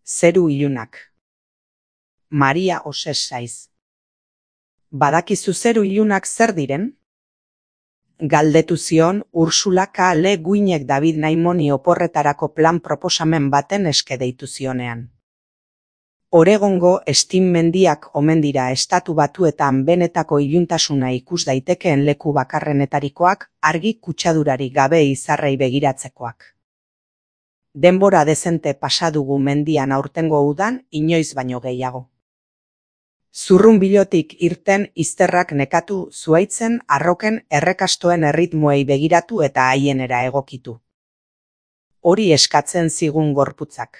Zeru ilunak. Maria Oses Saiz. Badakizu zeru ilunak zer diren? Galdetu zion Ursula K. Le Guinek David Naimoni oporretarako plan proposamen baten eske deitu zionean. Oregongo Steam mendiak omen dira Estatu Batuetan benetako iluntasuna ikus daitekeen leku bakarrenetarikoak, argi kutsadurari gabe izarrei begiratzekoak. Denbora dezente pasa dugu mendian aurtengo udan inoiz baino gehiago. Zurrunbilotik irten izterrak nekatu zuhaitzen arroken errekastoen erritmoei begiratu eta haienera egokitu. Hori eskatzen zigun gorputzak.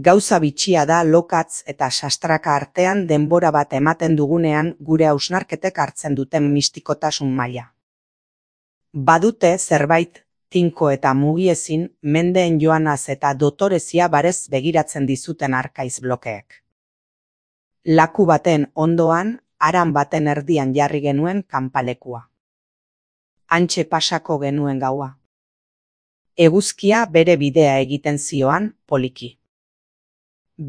Gauza bitxia da lokatz eta sastraka artean denbora bat ematen dugunean gure hausnarketek hartzen duten mistikotasun maila. Badute zerbait tinko eta mugiezin mendeen joanaz eta dotorezia barez begiratzen dizuten arkaiz blokeek. Laku baten ondoan, haran baten erdian jarri genuen kanpalekua. Hantxe pasako genuen gaua. Eguzkia bere bidea egiten zioan, poliki.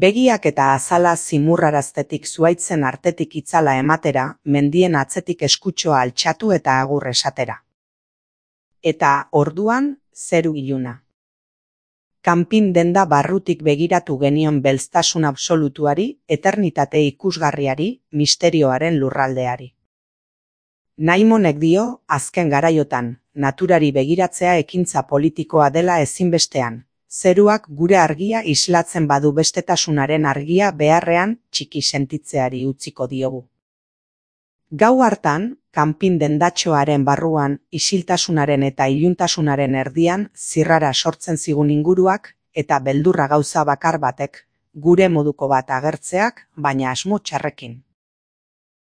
Begiak eta azala zimurraraztetik zuhaitzen artetik itzala ematera, mendien atzetik eskutxoa altxatu eta agur esatera. Eta orduan, zeru iluna. Kanpin denda barrutik begiratu genion belztasun absolutuari, eternitate ikusgarriari, misterioaren lurraldeari. Naimonek dio, azken garaiotan, naturari begiratzea ekintza politikoa dela ezinbestean, zeruak gure argia islatzen badu bestetasunaren argia beharrean txiki sentitzeari utziko diogu. Gau hartan, kanpin dendatxoaren barruan, isiltasunaren eta iluntasunaren erdian zirrara sortzen zigun inguruak eta beldurra gauza bakar batek, gure moduko bat agertzeak, baina asmo txarrekin.